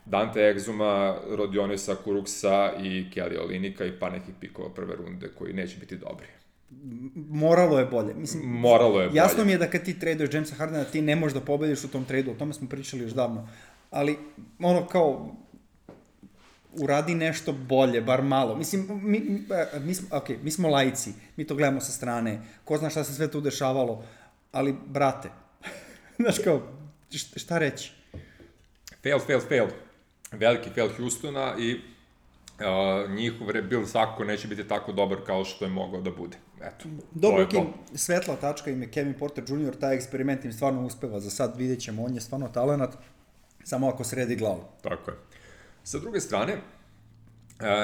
Dante Exuma, Rodionisa Kuruksa i Kelly Olynyka i par nekih pikova prve runde koji neće biti dobri. Moralo je bolje. Mislim, moralo je bolje. Jasno mi je da kad ti traduješ Jamesa Hardena, ti ne možeš da pobediš u tom tradu, o tome smo pričali još davno. Ali, kao, uradi nešto bolje, bar malo. Mislim, mi smo laici, mi to gledamo sa strane, ko zna šta se sve tu dešavalo, ali, brate, znaš kao, šta reći? Fail. Veliki fail Houstona i njihov rebuild svakako neće biti tako dobar kao što je mogao da bude. Eto, dobro, svetla tačka im je Kevin Porter Jr., taj eksperiment im stvarno uspeva, za sad vidjet ćemo, on je stvarno talenat, samo ako sredi glavu. Tako je. Sa druge strane,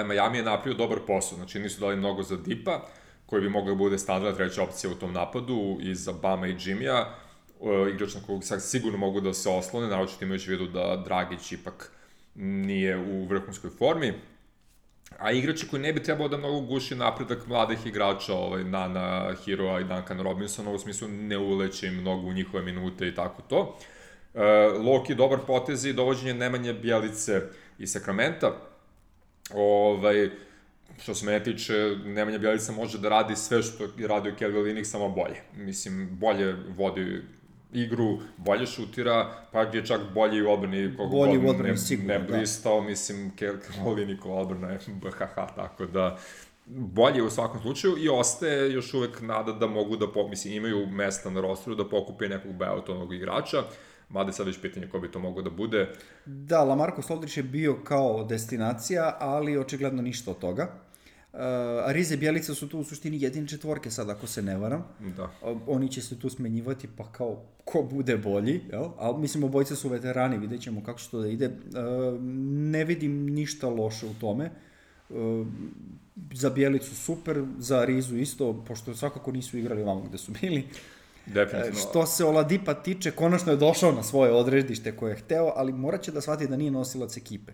Miami je napravio dobar posao, znači nisu dali mnogo za Deepa, koji bi mogla bude standardna treća opcija u tom napadu, i za Bama i Jimmya, igrač na kojeg sad sigurno mogu da se oslone, naročito imajući vidu da Dragić ipak nije u vrhunskoj formi, a igrači koji ne bi trebalo da mnogo guši napredak mladih igrača, Nana Heroa i Duncan Robinsona, u smislu ne uleće im mnogo u njihove minute i tako to. Loki dobar potez i dovođenje Nemanje Bjelice iz Sakramenta. Što se mene tiče, Nemanja Bjelica može da radi sve što je radio Kelly Olynyk, samo bolje. Mislim, bolje vodi igru, bolje šutira, pa je čak bolji u odbrani, koliko god ne blistao, mislim, Kelly Olynyk odbrana je BHH, tako da bolje u svakom slučaju i ostaje još uvek nada da mogu da, mislim, imaju mesta na rosteru da pokupe nekog buyoutovnog igrača, mada je sad već pitanje ko bi to mogo da bude. Da, LaMarcus Aldridge je bio kao destinacija, ali očigledno ništa od toga. Ariza i Bjelica su tu u suštini jedine četvorke sad, ako se ne varam. Da. Oni će se tu smenjivati, pa kao ko bude bolji, jel? Ali mislim, obojice su veterani, vidjet ćemo kako će to da ide. Ne vidim ništa loše u tome. Za Bjelicu super, za Arizu isto, pošto svakako nisu igrali ovamo gde su bili. Definitivno. Što se Oladipa tiče, konačno je došao na svoje odredište koje je hteo, ali morat će da shvati da nije nosilac ekipe.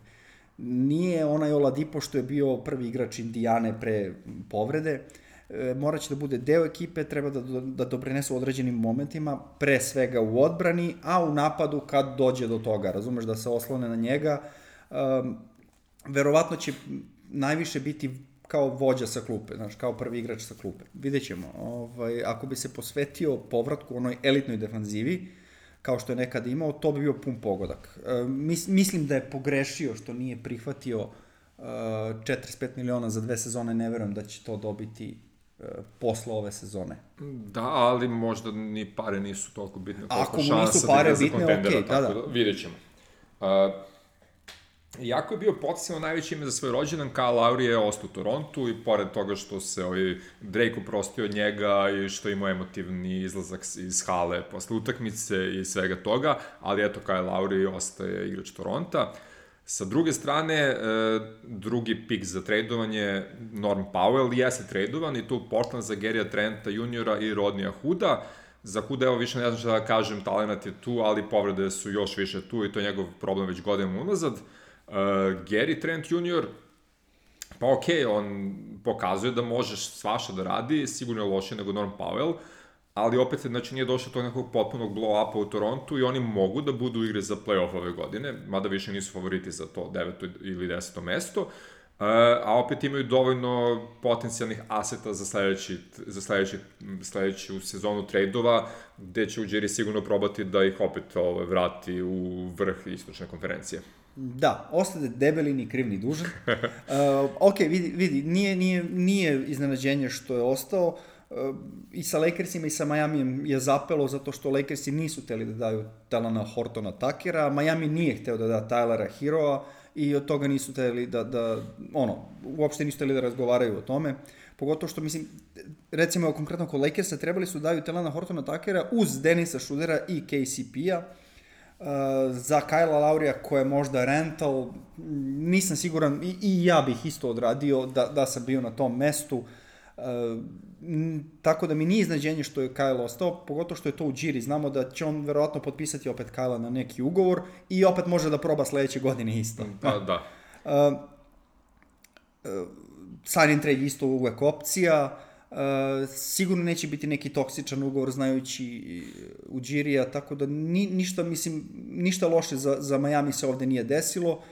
Nije onaj Oladipo što je bio prvi igrač Indijane pre povrede, morat će da bude deo ekipe, treba da doprinese u određenim momentima, pre svega u odbrani, a u napadu kad dođe do toga, razumeš, da se oslone na njega. Verovatno će najviše biti kao vođa sa klupe, znači kao prvi igrač sa klupe. Vidjet ćemo. Ako bi se posvetio povratku onoj elitnoj defanzivi, kao što je nekada imao, to bi bio pun pogodak. Mislim da je pogrešio što nije prihvatio 45 miliona za 2 sezone, ne verujem da će to dobiti posle ove sezone. Da, ali možda ni pare nisu toliko bitne. Ako mu nisu pare bitne, okej, da. Vidjet ćemo. Iako je bio potencijalno najveće ime za svoj rođendan, Kyle Lowry je ostao u Torontu i pored toga što se Drake oprostio od njega i što imao emotivni izlazak iz hale posle utakmice i svega toga, ali eto, Kyle Lowry ostaje igrač Toronta. Sa druge strane, drugi pik za tradovanje, Norm Powell, jeste tradovan i tu Portland za Gary'a Trenta juniora i Rodneya Hooda. Za Hooda, evo više ne znam šta da kažem, talent je tu, ali povrede su još više tu i to je njegov problem već godinama unazad. Gary Trent Jr., pa okej, on pokazuje da možeš svašta da radi, sigurno je loše nego Norm Powell, ali opet, znači, nije došlo tog nekog potpunog blow-upa u Torontu i oni mogu da budu igre za play-off ove godine, mada više nisu favoriti za to 9. ili 10. mesto, a opet imaju dovoljno potencijalnih aseta za sledeću sezonu trade-ova, gde će Ujiri sigurno probati da ih opet vrati u vrh istočne konferencije. Da, ostade debeli, ni kriv ni dužan. Ok, vidi, nije iznenađenje što je ostao. I sa Lakersima i sa Miamijem je zapelo zato što Lakersi nisu hteli da daju Talana Hortona Takera, Miami nije hteo da da Tylera Heroa i od toga nisu hteli uopšte nisu hteli da razgovaraju o tome. Pogotovo što, mislim, recimo konkretno kod Lakersa trebali su daju Talana Hortona Takera uz Denisa Schroedera i KCP-a. Za Kylea Lowrya koja je možda rental, nisam siguran, i ja bih isto odradio da sam bio na tom mestu, tako da mi nije iznenađenje što je Kyle ostao, pogotovo što je to u Ujiri, znamo da će on verovatno potpisati opet Kylea na neki ugovor i opet može da proba sledeće godine isto. Pa da. Sign and trade isto uvek opcija. Sigurno neće biti neki toksičan ugovor znajući Ujirija, tako da ništa loše za Miami se ovde nije desilo.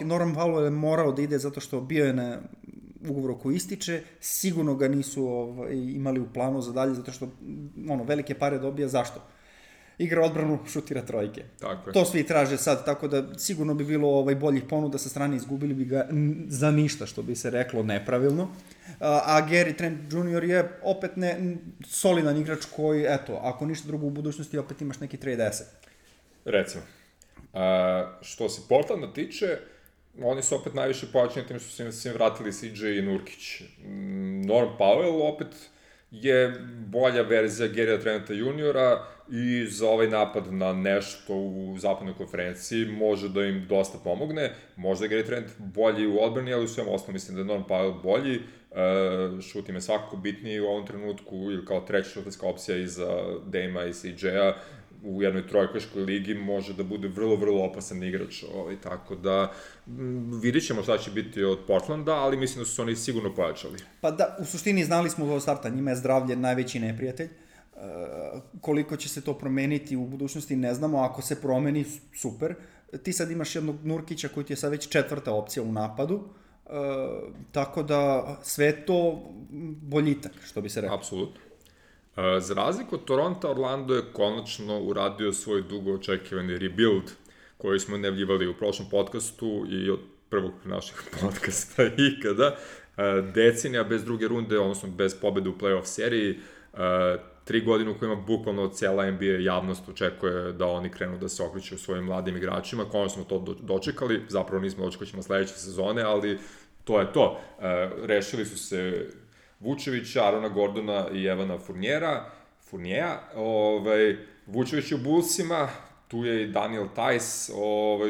Norman Powell je morao da ide zato što bio je na ugovoru koji ističe, sigurno ga nisu imali u planu za dalje, zato što velike pare dobija, zašto? Igra odbranu, šutira trojke. Tako je. To svi traže sad, tako da sigurno bi bilo boljih ponuda sa strane, izgubili bi ga za ništa, što bi se reklo nepravilno. A Gary Trent Jr. je opet solidan igrač koji, eto, ako ništa drugo u budućnosti, opet imaš neki trade asset. Recimo. Što se Portlanda tiče, oni su opet najviše pojačani tim što su im vratili CJ i Nurkić. Norm Powell opet je bolja verzija Gary'a Trenta juniora i za ovaj napad na nešto u zapadnoj konferenciji može da im dosta pomogne. Možda je Gary Trent bolji u odbrani, ali u svem osnovu mislim da je Norm Powell bolji. Šut im je svakako bitniji u ovom trenutku, ili kao treća šutarska opcija iza Dame-a i CJ-a u jednoj trojkaškoj ligi može da bude vrlo, vrlo opasan igrač, tako da vidit ćemo šta će biti od Portlanda, ali mislim da su oni sigurno pojačali. Pa da, u suštini znali smo od starta, njima je zdravlje najveći neprijatelj. Koliko će se to promeniti u budućnosti ne znamo, ako se promeni, super. Ti sad imaš jednog Nurkića koji ti je sad već 4. opcija u napadu, tako da sve to boljitak, što bi se rekao. Apsolutno. Za razliku od Toronto, Orlando je konačno uradio svoj dugo očekivani rebuild koji smo najavljivali u prošlom podcastu i od prvog našeg podcasta ikada. Decenija bez druge runde, odnosno bez pobede u playoff seriji, 3 godine u kojima bukvalno cijela NBA javnost očekuje da oni krenu da se okreću u svojim mladim igračima. Konačno smo to dočekali, zapravo nismo dočekali ćemo sledeće sezone, ali to je to. Rešili su se Vučevića, Arona Gordona i Evana Fournier'a. Vučević je u Bullsima, tu je i Daniel Tice,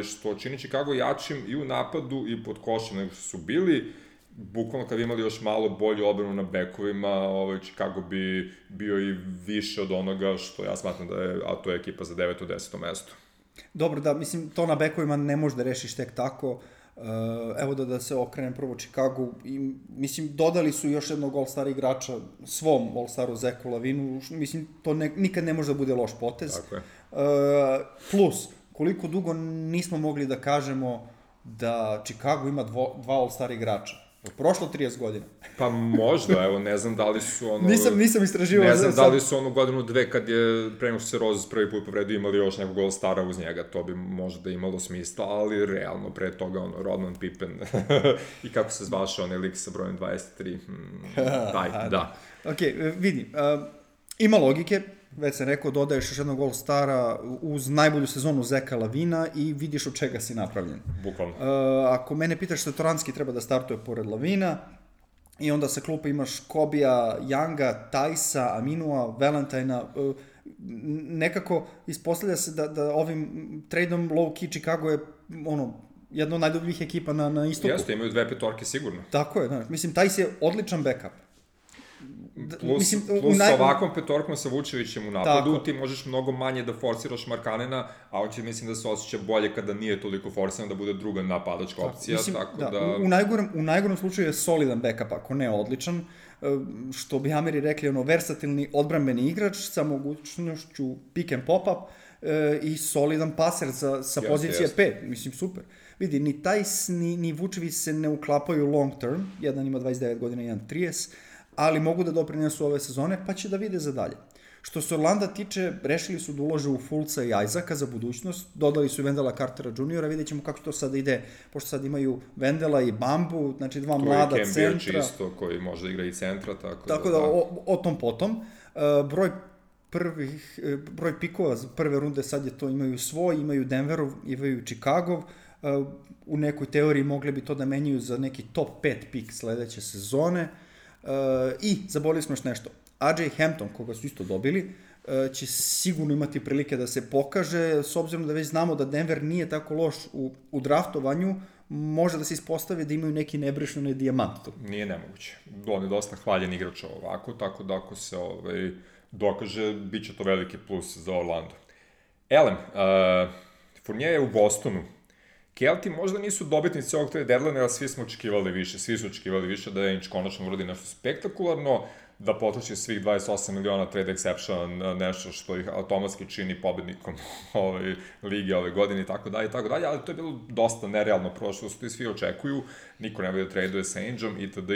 što čini Chicago jačim i u napadu i pod košem nego što su bili. Bukvalno kad bi imali još malo bolju odbranu na bekovima, Chicago bi bio i više od onoga što ja smatram da je, a to je ekipa za 9. 10. mesto. Dobro, da, mislim, to na bekovima ne možeš da rešiš tek tako. Evo da se okrenem prvo Chicago i mislim dodali su još jednog All-Star igrača svom All-Staru Zeku Lavinu, mislim to nikad ne može da bude loš potez. Tako je. Plus, koliko dugo nismo mogli da kažemo da Chicago ima 2 All-Star igrača. Prošlo 30 godina. Pa možda, evo, ne znam da li su Nisam istraživao. Ne znam da li su godinu, dve, kad je pre nego što se Rose prvi put povredio, imali još nekog All-Stara uz njega, to bi možda imalo smisla, ali realno, pre toga, Rodman Pippen i kako se zvaše onaj lik sa brojem 23, da. Ok, vidi, ima logike, već sam rekao, dodaješ još jednog All-Stara uz najbolju sezonu Zeka Lavina i vidiš od čega si napravljen. Bukvalno. Ako mene pitaš, Satoranski treba da startuje pored Lavina, i onda sa klupa imaš Kobija, Younga, Tajsa, Aminua, Valentina. Nekako ispostavlja se da ovim tradeom low-key Chicago je jedna od najdobljih ekipa na istoku. Jeste, imaju 2 petorke sigurno. Tako je, znaš. Mislim, Tajs je odličan backup. Plus sa ovakvom petorkom sa Vučevićem u napadu, ti možeš mnogo manje da forsiraš Markanena, a on će, mislim, da se osjeća bolje kada nije toliko forsiran, da bude druga napadačka opcija, tako da... U najgorem slučaju je solidan backup, ako ne odličan, što bi Ameri rekli, versatilni odbrambeni igrač sa mogućnošću pick and pop-up i solidan paser sa pozicije 5, mislim, super. Vidi, ni Tajs, ni Vučević se ne uklapaju long term, jedan ima 29 godina, jedan 30, ali mogu da doprinesu ove sezone, pa će da vide za dalje. Što se Orlanda tiče, rešili su da ulože u Fulca i Isaaca za budućnost, dodali su i Wendella Cartera Jr., vidjet ćemo kako to sad ide, pošto sad imaju Wendella i Bambu, znači dva mlada centra. Tu je Cam Birch isto, koji može da igra i centra, tako da o tom potom. Broj pikova za prve runde sad je to, imaju svoj, imaju Denverov, imaju Chicago, u nekoj teoriji mogli bi to da menjaju za neki top 5 pik sledeće sezone. I zaboravili smo još nešto. RJ Hampton, koga su isto dobili, će sigurno imati prilike da se pokaže, s obzirom da već znamo da Denver nije tako loš u draftovanju, može da se ispostavi da imaju neki nebrišljeni dijamant. Nije nemoguće. On je dosta hvaljen igrač ovako, tako da ako se dokaže, bit će to veliki plus za Orlando. Elem, Fournier je u Bostonu. Kelti možda nisu dobitnici ovog trade deadline, ali svi su očekivali više da Ainge konačno uradi nešto spektakularno, da potroši svih 28 miliona trade exception, nešto što ih automatski čini pobednikom lige ove godine i tako dalje, ali to je bilo dosta nerealno prošlo, što i svi očekuju, niko ne bude da traduje sa Aingeom, itd.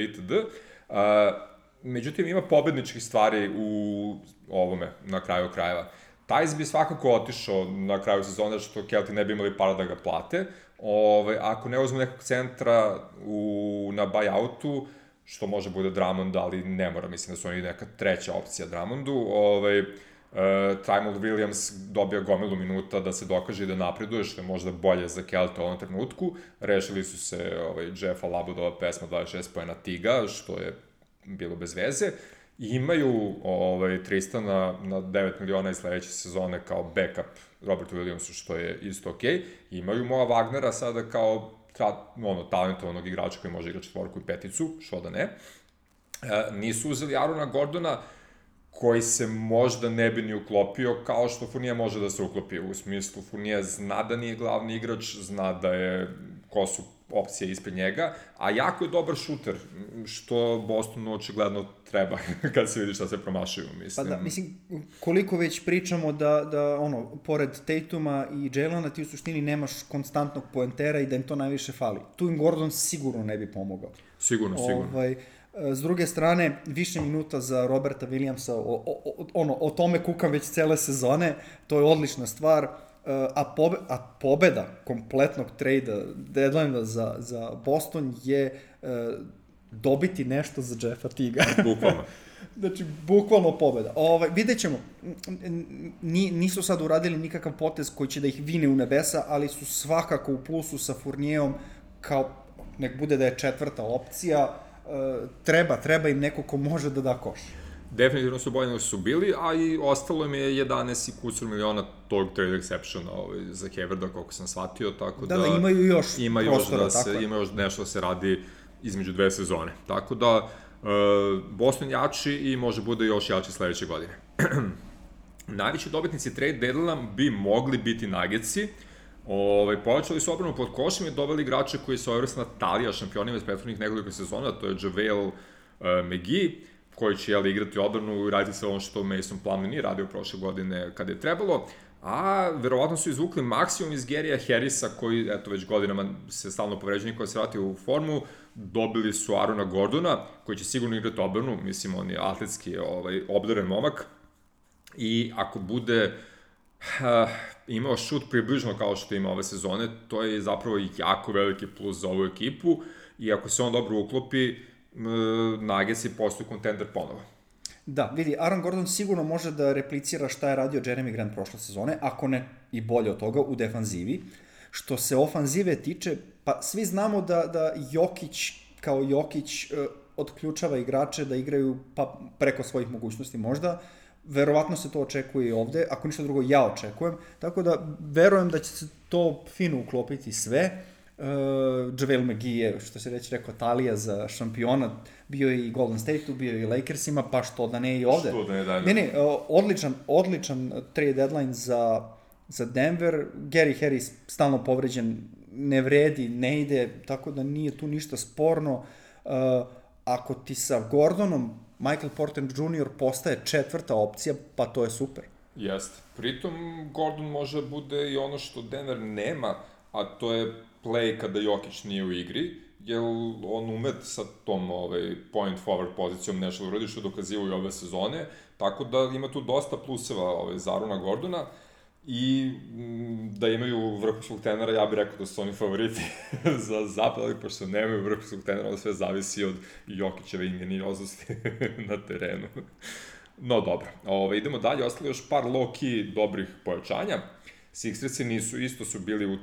Međutim, ima pobedničkih stvari u ovome, na kraju krajeva. Tajs bi svakako otišao na kraju sezone, što Kelti ne bi imali para da ga plate. Ako ne uzmu nekog centra na buyoutu, što može bude Drummond, ali ne mora, mislim da su oni neka treća opcija Drummondu. Tyrell Williams dobija gomilu minuta da se dokaže i da napreduje, što je možda bolje za Kelta u ovom trenutku. Rešili su se Jeffa Labudova pesma 26 poena Tiga, što je bilo bez veze. Imaju Tristana na 9 miliona iz sledeće sezone kao backup Robertu Williamsu, što je isto okej. Imaju Moa Wagnera sada kao talentovanog igrača koji može igrati 4 i 5, što da ne. Nisu uzeli Arona Gordona, koji se možda ne bi ni uklopio, kao što Fournier može da se uklopi. U smislu, Fournier zna da nije glavni igrač, zna da je ko su opcije ispred njega, a jako je dobar šuter, što Bostonu očigledno treba kad se vidi šta se promašaju, mislim. Pa da, mislim, koliko već pričamo da pored Tatuma i Jaylana ti u suštini nemaš konstantnog poentera i da im to najviše fali. Tu im Gordon sigurno ne bi pomogao. Sigurno. S druge strane, više minuta za Roberta Williamsa, o tome kukam već cele sezone, to je odlična stvar. A pobeda kompletnog trade deadline za Boston je dobiti nešto za Jeffa Tiga. Bukvalno. Znači, bukvalno pobeda. Vidjet ćemo, nisu sad uradili nikakav potez koji će da ih vine u nebesa, ali su svakako u plusu sa Fournierom, kao nek bude da je četvrta opcija, treba im neko ko može da da koš. Definitivno su bolje nego su bili, a i ostalo im je 11 i kusur miliona tog trade exceptiona za Haverda, koliko sam shvatio, tako da... Da, imaju još prostora, ima još nešto da se radi između 2 sezone. Tako da, Boston jači i može bude još jači sledeće godine. Najveći dobitnici trade deadline bi mogli biti Nuggetsi. Povećali su obranu pod košem i doveli igrače koji su ovrsna Talija šampionima iz prethodnih nekoliko sezona, to je JaVale McGee, koji će igrati odbranu i raditi sve ono što Mason Plumlee nije radio prošle godine kada je trebalo, a verovatno su izvukli maksimum iz Gary'a Harrisa, koji već godinama se stalno povređuje, koja se vrati u formu. Dobili su Arona Gordona, koji će sigurno igrati odbranu, mislim, on je atletski obdaren momak, i ako bude imao šut približno kao što ima ove sezone, to je zapravo jako veliki plus za ovu ekipu, i ako se on dobro uklopi, Nuggetsi postaju kontender ponovo. Da, vidi, Aaron Gordon sigurno može da replicira šta je radio Jeremy Grant prošle sezone, ako ne i bolje od toga u defanzivi. Što se ofanzive tiče, pa svi znamo da Jokić kao Jokić otključava igrače da igraju pa preko svojih mogućnosti možda. Verovatno se to očekuje i ovde, ako ništa drugo ja očekujem, tako da verujem da će se to fino uklopiti sve. JaVale McGee je, što se već rekao, talija za šampiona, bio je i Golden State-u, bio je i Lakersima, pa što da ne i ovde. Što da ne dalje. Ne, odličan trade deadline za Denver. Gary Harris stalno povređen, ne vredi, ne ide, tako da nije tu ništa sporno. Ako ti sa Gordonom Michael Porter Jr. postaje četvrta opcija, pa to je super. Jeste. Pritom, Gordon može bude i ono što Denver nema, a to je play kada Jokić nije u igri, jer on umet sa tom point forward pozicijom nešto uradi što dokazivo i ove sezone, tako da ima tu dosta pluseva za Aarona Gordona i da imaju vrhunskog trenera, ja bih rekao da su oni favoriti za zapad, ali pošto nemaju vrhunskog trenera, onda sve zavisi od Jokićeve ingenioznosti na terenu. No dobro, idemo dalje, ostali još par low-key dobrih pojačanja. Sixersi isto su bili u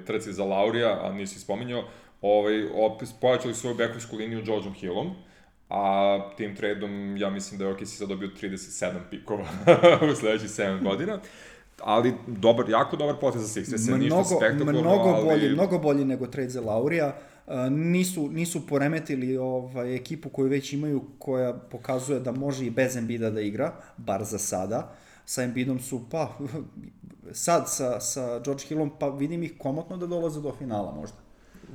trci za Laurija, a nisi spominjao, pojačali svoju bekovsku liniju Georgeom Hillom, a tim tradom ja mislim da je OKC sad dobio 37 pikova u sledećih 7 godina. Ali jako dobar potez za Sixers, ništa spektakularno, mnogo bolji nego trade za Laurija. Nisu poremetili ekipu koju već imaju, koja pokazuje da može i bez Embida da igra, bar za sada. Sa Embidom su, sad sa George Hillom, pa vidim ih komotno da dolaze do finala možda.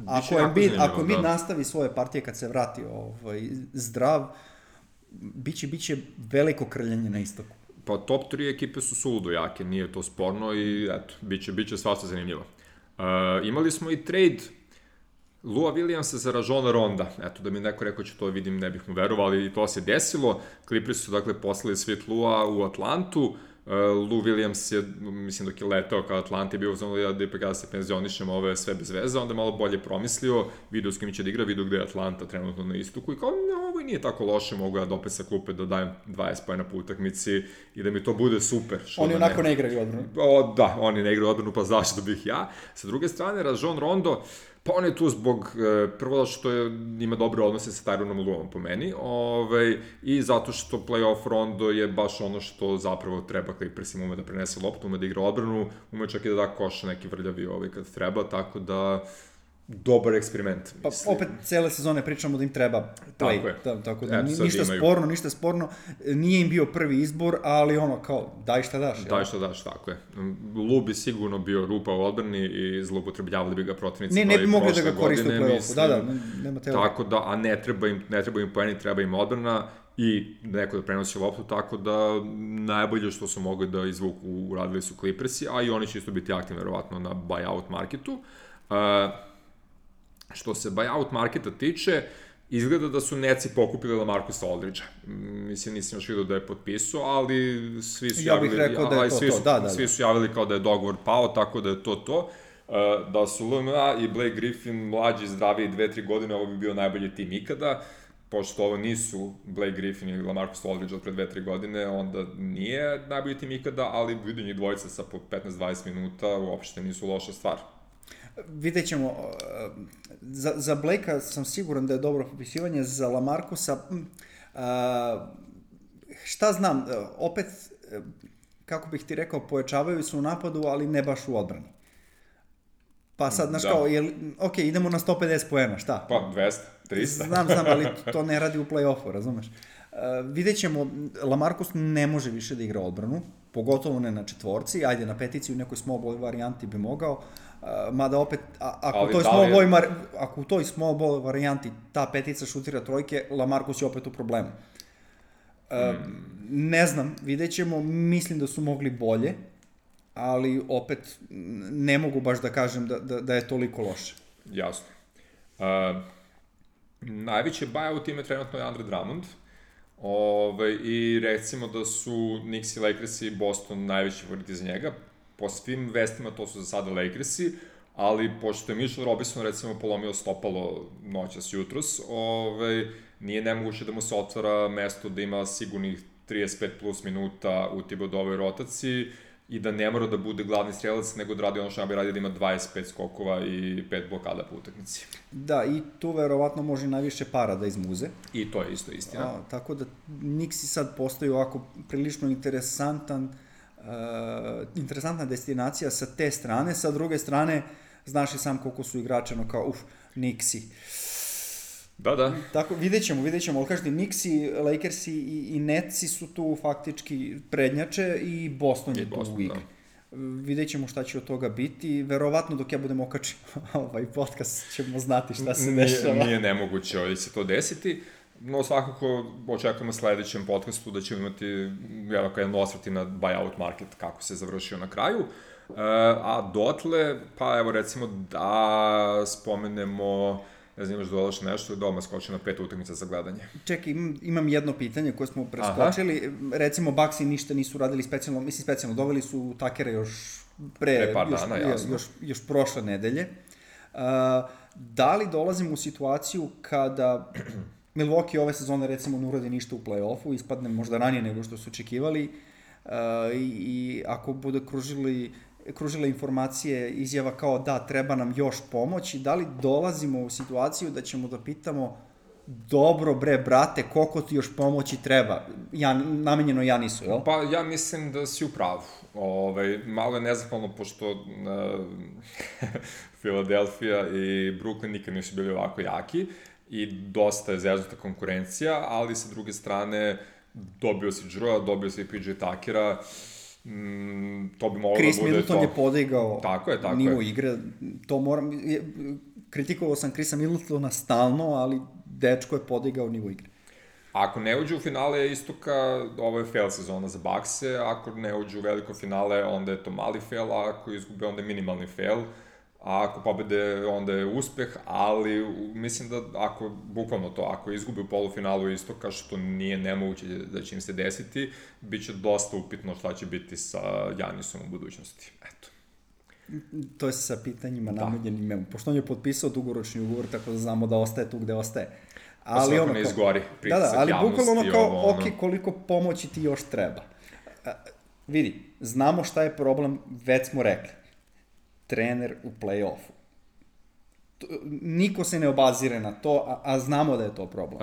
Ako Embiid nastavi svoje partije kad se vrati zdrav, biće veliko krljanje na istoku. Pa top 3 ekipe su suludo jake, nije to sporno i eto, biće svašta zanimljivo. Imali smo i trade Lua Williamsa za Rajona Ronda. Eto, da mi neko rekao će to vidim, ne bih mu verovao, ali i to se desilo. Clippers su dakle poslali svit Lua u Atlantu. Lou Williams je, mislim, dok je letao kao Atlanta je bio uzmano da ipak ja se penzionišem, ovo je sve bez veze, onda malo bolje promislio, video s kim će da igra, video gde je Atlanta trenutno na istoku i kao, ovo nije tako loše, mogu ja da opet sa klupe da dajem 20 pojena po utakmici i da mi to bude super. Oni onako ne igraju odbranu. Da, oni ne igraju odbranu, pa zašto bih ja. Sa druge strane, Rajon Rondo, pa on je tu zbog, prvo što ima dobre odnose sa Tyronom Luom po meni, i zato što playoff Rondo je baš ono što zapravo treba Clippersima, ume da prenese loptu, ume da igra odbranu, ume čak i da da koš neki vrljavi kad treba, tako da dobar eksperiment. Pa opet cele sezone pričamo da im treba play. Tako da ništa sporno. Nije im bio prvi izbor, ali ono kao daj šta daš. Daj šta daš, tako je. Lu bi sigurno bio rupa u odbrani i zloupotrebljavali bi ga protivnici. Ne bi mogli da ga koriste u play-offu. Da, nema teorije. Tako da, a ne treba im poeni, treba im odbrana i neko da prenosi loptu, tako da najbolje što su mogli da izvuku uradili su Clippersi, a i oni će isto biti aktivni verovatno na buyout marketu. Što se buyout marketa tiče, izgleda da su Netsi pokupili LaMarcusa Aldridgea. Mislim, nisam još vidio da je potpisao, ali svi su javili... Ja bih rekao da je to. Svi su javili kao da je dogovor pao, tako da je to. Da su LMA i Blake Griffin mlađi, zdraviji 2-3 godine, ovo bi bio najbolji tim ikada. Pošto ovo nisu Blake Griffin ili LaMarcus Aldridge od pre 2-3 godine, onda nije najbolji tim ikada, ali vidim njih dvojica sa po 15-20 minuta uopšte nisu loša stvar. Vidjet ćemo, za Blakea sam siguran da je dobro popisivanje, za LaMarcusa, šta znam, opet, kako bih ti rekao, pojačavaju se u napadu, ali ne baš u odbrani. Pa sad, znaš kao, ok, idemo na 150 poena, šta? Pa 200, 300. Znam, ali to ne radi u play-offu, razumeš? Vidjet ćemo, LaMarcus ne može više da igra odbranu, pogotovo ne na četvorci, ajde na peticiju u nekoj small ball varijanti bi mogao, mada opet, ako u toj small ball varijanti ta petica šutira trojke, LaMarcus je opet u problemu. Ne znam, vidjet ćemo, mislim da su mogli bolje, ali opet ne mogu baš da kažem da je toliko loše. Jasno. Najveće buyout ime trenutno je Andre Drummond, i recimo da su Knicks i Lakers i Boston najveći favoriti za njega. Po svim vestima to su za sada Lakersi, ali pošto je Mitchell Robinson recimo polomio stopalo noćas jutros, nije nemoguće da mu se otvara mesto da ima sigurnih 35 plus minuta u Thibaudeovoj rotaciji i da ne mora da bude glavni strelac, nego da radi ono što bi radio, da ima 25 skokova i 5 blokada po utakmici. Da, i tu verovatno može najviše para da izmuze. I to je isto istina. Tako da Knicksi sad postaju ovako prilično interesantna destinacija sa te strane. Sa druge strane, znaš i sam koliko su igrače, kao, Knicksi. Da. Tako, vidjet ćemo, ali kažete, Knicksi, Lakersi i Netsi su tu faktički prednjače i Boston je tu u igri. Vidjet ćemo šta će od toga biti. Verovatno dok ja budem okačio ovaj podcast ćemo znati šta se dešava. Nije nemoguće se to desiti. No, svakako očekujemo sledećem podcastu da ćemo imati jedan osvrti na buyout market, kako se završio na kraju. A dotle, pa evo recimo da spomenemo, ne znam, imaš dodaš nešto, doma skoči na 5 utakmica za gledanje. Čekaj, imam jedno pitanje koje smo preskočili. Recimo, Bucksi ništa nisu radili specijalno, doveli su Takera još pre par dana, jasno. Još prošle nedelje. Da li dolazimo u situaciju kada Milwaukee ove sezone recimo ne uradi ništa u play-offu, ispadne možda ranije nego što su očekivali, i ako bude kružila informacije, izjava kao da treba nam još pomoći, da li dolazimo u situaciju da ćemo da pitamo dobro bre brate, koliko ti još pomoći treba? Namenjeno Janisu, jel? Pa ja mislim da si u pravu. Malo je nezahvalno pošto Philadelphia i Brooklyn nikad nisu bili ovako jaki i dosta je zeznuta konkurencija, ali sa druge strane dobio si Drewa, dobio si PJ Tuckera, to bi moglo da bude to. Chris Middleton je podigao nivo igre, to moram, kritikovao sam Chrisa Middletona stalno, ali dečko je podigao nivo igre. Ako ne uđe u finale istoka, ovo je fail sezona za Buckse, ako ne uđe u veliko finale, onda je to mali fail, a ako izgube, onda je minimalni fail, a ako pobede, onda je uspeh, ali mislim da ako izgube u polufinalu istoka, što nije nemoguće da će im se desiti, bit će dosta upitno šta će biti sa Janisom u budućnosti. Eto. To je sa pitanjima namenjenim. Pošto on je potpisao dugoročni ugovor, tako da znamo da ostaje tu gde ostaje. Ali ono ne izgori, pritisak ali javnosti. Bukvalno kao, koliko pomoći ti još treba. Vidi, znamo šta je problem, već smo rekli. Trener u play-offu. Niko se ne obazire na to, a znamo da je to problem.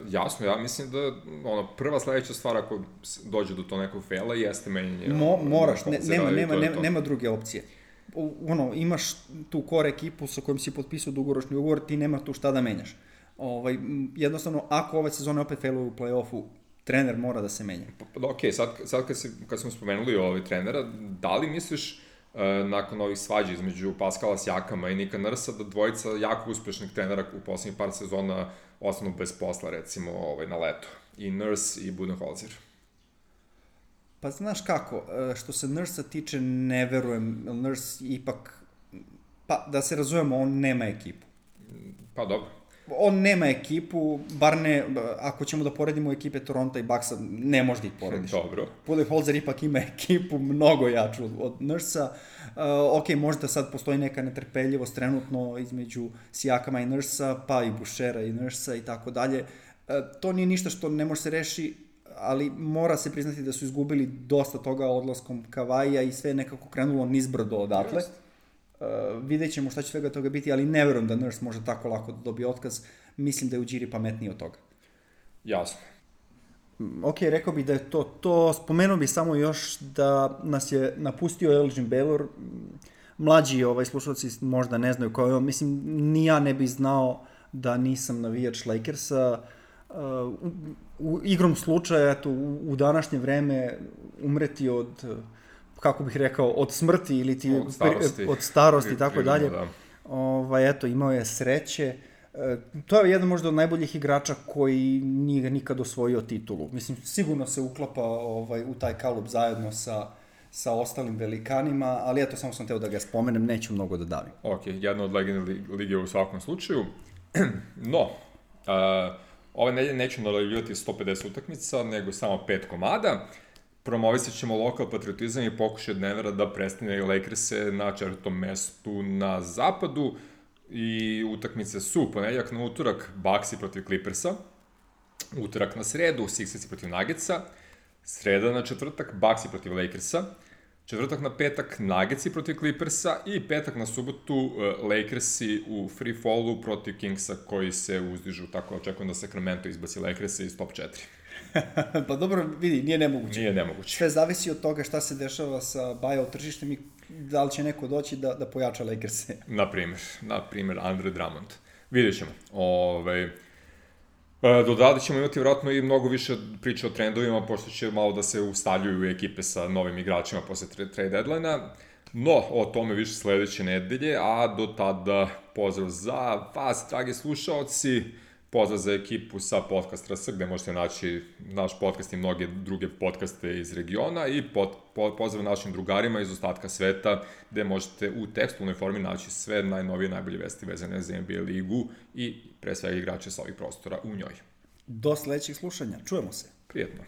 Jasno, ja mislim da prva sledeća stvar ako dođe do to nekog faila jeste menjanje. Moraš, nema druge opcije. Imaš tu core ekipu sa kojom si potpisao dugoročni ugovor, ti nema tu šta da menjaš. Jednostavno, ako ove sezone opet failuju u play-offu, trener mora da se menja. Ok, sad kad smo spomenuli trenera, da li misliš nakon ovih svađa između Pascala Siakama i Nika Nursa da dvojica jako uspešnih trenera u poslednjih par sezona ostanu bez posla, recimo na leto? I Nurse i Budenholzer. Pa znaš kako, što se Nursa tiče, ne verujem. Nurse ipak, pa da se razumemo, on nema ekipu. Pa dobro. On nema ekipu, bar ne, ako ćemo da poredimo ekipe Toronto i Bucksa, ne možda ih porediš. Dobro. Budenholzer ipak ima ekipu mnogo jaču od Nursa. Ok, možda sad postoji neka netrpeljivost trenutno između Siakama i Nursa, pa i Bouchera i Nursa i tako dalje. To nije ništa što ne može se reši, ali mora se priznati da su izgubili dosta toga odlaskom Kavaija i sve nekako krenulo nizbrdo odatle. Vidjet ćemo šta će svega toga biti, ali ne verujem da Nurse može tako lako da dobije otkaz. Mislim da je Ujiri pametniji od toga. Jasno. Ok, rekao bih da je to. Spomenuo bih samo još da nas je napustio Elgin Baylor. Mlađi slušalci možda ne znaju kao je on. Mislim, ni ja ne bih znao da nisam navijač Lakersa. Igrom slučaja, eto, u današnje vreme umreti od, kako bih rekao, od smrti ili ti od starosti i tako dalje. Eto, imao je sreće. To je jedan možda od najboljih igrača koji nije nikad osvojio titulu. Mislim, sigurno se uklapa u taj kalup zajedno sa ostalim velikanima, ali eto, samo sam teo da ga spomenem, neću mnogo da davim. Ok, jedna od legende lige u svakom slučaju. No, ove nedelje nećemo najavljivati 150 utakmica, nego samo 5 komada. Promovisat ćemo lokal patriotizam i pokušaj od Denvera da prestane Lakers-e na 4. mestu na zapadu. I utakmice su ponedeljak na utorak Bucksi protiv Clippersa, Utorak na sredu, Sixersi protiv Nuggetsa, sreda na četvrtak, Bucksi protiv Lakersa, četvrtak na petak, Nuggetsi protiv Clippersa i petak na subotu, Lakersi u free fallu protiv Kingsa koji se uzdižu, tako očekujem da Sacramento izbaci Lakersa iz top 4. Pa dobro, vidi, nije nemoguće. Nije nemoguće. Sve zavisi od toga šta se dešava sa buyout tržištem i da li će neko doći da pojača Lakers-e. Na primer, Andre Drummond. Vidjet ćemo. Do tada ćemo imati vjerojatno i mnogo više priče o trendovima, pošto će malo da se ustaljuju ekipe sa novim igračima posle trade deadline-a. No, o tome više sledeće nedelje, a do tada pozdrav za vas, dragi slušaoci, pozdrav za ekipu sa Podcast RS, gde možete naći naš podcast i mnoge druge podcaste iz regiona i pozdrav našim drugarima iz ostatka sveta, gde možete u tekstualnoj formi naći sve najnovije, najbolje vesti vezane za NBA ligu i pre svega igrače sa ovih prostora u njoj. Do sledećeg slušanja. Čujemo se. Prijetno.